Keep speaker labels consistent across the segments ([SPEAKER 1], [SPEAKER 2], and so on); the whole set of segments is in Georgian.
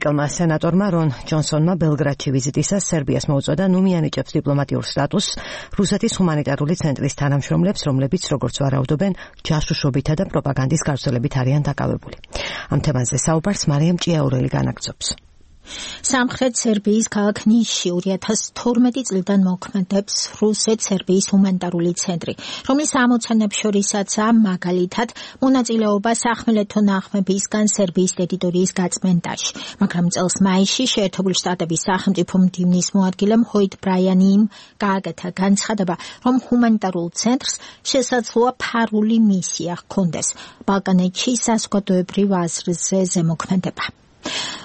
[SPEAKER 1] კელმა სენატორმა რონ ჯონსონმა ბელგრადში ვიზიტისას სერბიას მოუწოდა ნუ მიანიჭებს დიპლომატიურ სტატუსს რუსეთის ჰუმანიტარული ცენტრის თანამშრომლებს, რომლებიც როგორც ვარაუდობენ, ჯაშუშობითა და პროპაგანდის გავრცელებით არიან დაკავებული. ამ თემაზე საუბარს მარიამ ჭიაურელი განაგრძობს.
[SPEAKER 2] სამხრეთ სერბიის ქალაქ ნისში 2012 წლიდან მოქმედებს რუსეთ-სერბიის ჰუმანიტარული ცენტრი, რომლის ამოცანებს შორისაცაა მაგალითად მონაწილეობა სახმელეთო ნაღმებისგან სერბიის ტერიტორიის გაწმენდაში, მაგრამ წელს მაისში შეერთებული შტატების სახელმწიფო მდივნის მოადგილემ ჰოით ბრაიანიმ გააკეთა განცხადება, რომ ჰუმანიტარულ ცენტრს შესაძლოა ფარული მისია ჰქონდეს ბალკანეთში საზოგადოებრივ აზრზე ზემოქმედება.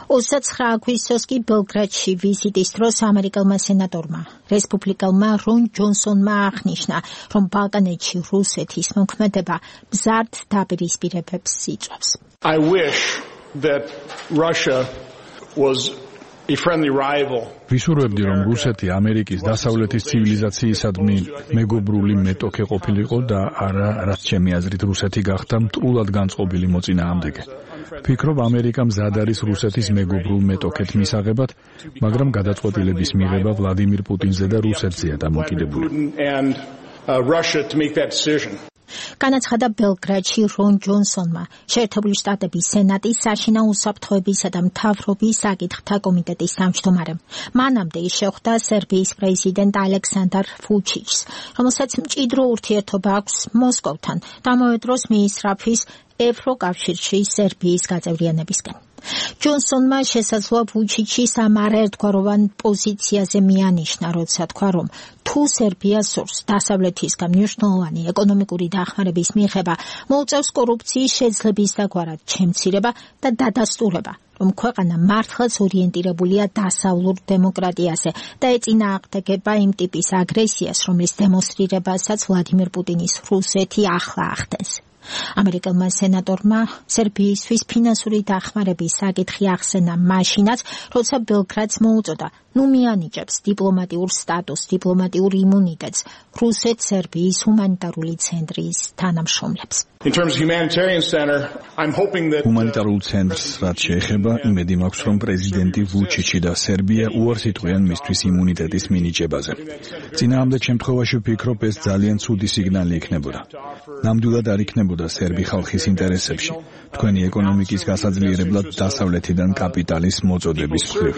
[SPEAKER 2] 29 აგვისტოს კი ბელგრადში ვიზიტის დროს ამერიკელმა სენატორმა რესპუბლიკელმა რონ ჯონსონმა აღნიშნა, რომ ბალკანეთში რუსეთის მოქმედება მზარდ დაპირისპირებებს იწვევს.
[SPEAKER 3] I wish that Russia was a friendly rival.
[SPEAKER 4] ვისურვებდი, რომ რუსეთი ამერიკის დასავლეთის ცივილიზაციისადმი მეგობრული მეტოქე ყოფილიყო და არა, რაც ჩემი აზრით რუსეთი გახდა მტრულად განწყობილი მოწინააღმდეგე. ვფიქრობ, ამერიკა მზად არის რუსეთის მეგობრულ მეტოქეთ მისაღებად, მაგრამ გადაწყვეტილების მიღება ვლადიმირ პუტინზე და რუსეთზეა დამოკიდებული.
[SPEAKER 2] განაცხადა ბელგრადში რონ ჯონსონმა შეერთებული შტატების სენატის საშინაო უსაფრთხოებისა და მთავრობის საკითხთა კომიტეტის თავმჯდომარემ. მანამდე ის შეხვდა სერბიის პრეზიდენტ ალექსანდრ ვუჩიჩს, რომელსაც მჭიდრო ურთიერთობა აქვს მოსკოვთან და ამავე დროს მიისწრაფვის ევროკავშირში სერბიის გაწევრიანებისკენ. ჯონსონმა შესაძლოა ვუჩიჩის ამ არაერთგვაროვან პოზიციაზე მიანიშნა, როცა თქვა, რომ თუ სერბია სურს დასავლეთისგან მნიშვნელოვანი ეკონომიკური დახმარების მიღება, მოუწევს კორუფციის შეძლების დაგვარად შემცირება და დადასტურება, რომ ქვეყანა მართლაც ორიენტირებულია დასავლურ დემოკრატიაზე და ეწინააღმდეგება იმ ტიპის აგრესიას, რომლის დემონსტრირებასაც ვლადიმირ პუტინის რუსეთი ახლა ახდენს. ამერიკელმა სენატორმა სერბიისთვის ფინანსური დახმარების საკითხი ახსენა მაშინაც, როცა ბელგრადს მოუწოდა ნუ მიანიჭებს დიპლომატიურ სტატუსს, დიპლომატიურ იმუნიტეტს რუსეთ-სერბიის ჰუმანიტარული ცენტრის თანამშრომლებს.
[SPEAKER 4] ჰუმანიტარულ ცენტრს რაც შეეხება, იმედი მაქვს, რომ პრეზიდენტი ვუჩიჩი და სერბია უარს იტყვიან მისთვის იმუნიტეტის მინიჭებაზე. წინააღმდეგ შემთხვევაში ვფიქრობ, ეს ძალიან ცუდი სიგნალი იქნებოდა. ნამდვილად არ იქნებოდა სერბი ხალხის ინტერესებში, თქვენი ეკონომიკის გასაძლიერებლად დასავლეთიდან კაპიტალის მოწოდების მხრივ.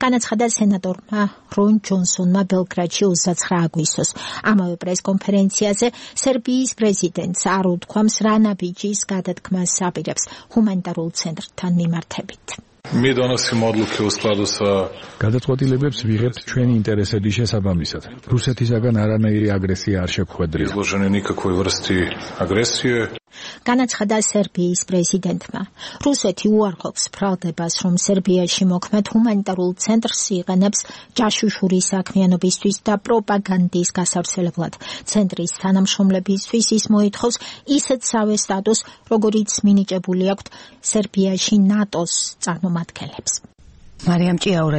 [SPEAKER 2] განაცხადა სენატორმა რონ ჯონსონმა ბელგრადში 29 აგვისტოს. ამავე პრესკონფერენციაზე სერბიის პრეზიდენტს არ უთქვამს რა ნაბიჯის გადადგმას აპირებს ჰუმანიტარულ ცენტრთან მიმართებით.
[SPEAKER 4] გადაწყვეტილებებს ვიღებთ ჩვენი ინტერესების შესაბამისად. რუსეთისაგან არანაირი აგრესია არ შეგვხვედრია.
[SPEAKER 2] განაცხადა სერბიის პრეზიდენტმა. რუსეთი უარყოფს ბრალდებას, რომ სერბიაში მოქმედ ჰუმანიტარულ ცენტრს იყენებს ჯაშუშური საქმიანობისთვის და პროპაგანდის გასავრცელებლად. ცენტრის თანამშრომლებისთვის ის მოითხოვს ისეთსავე სტატუსს, როგორიც მინიჭებული აქვთ სერბიაში ნატოს წარმომადგენლებს.
[SPEAKER 1] მარიამ ჭიაურელი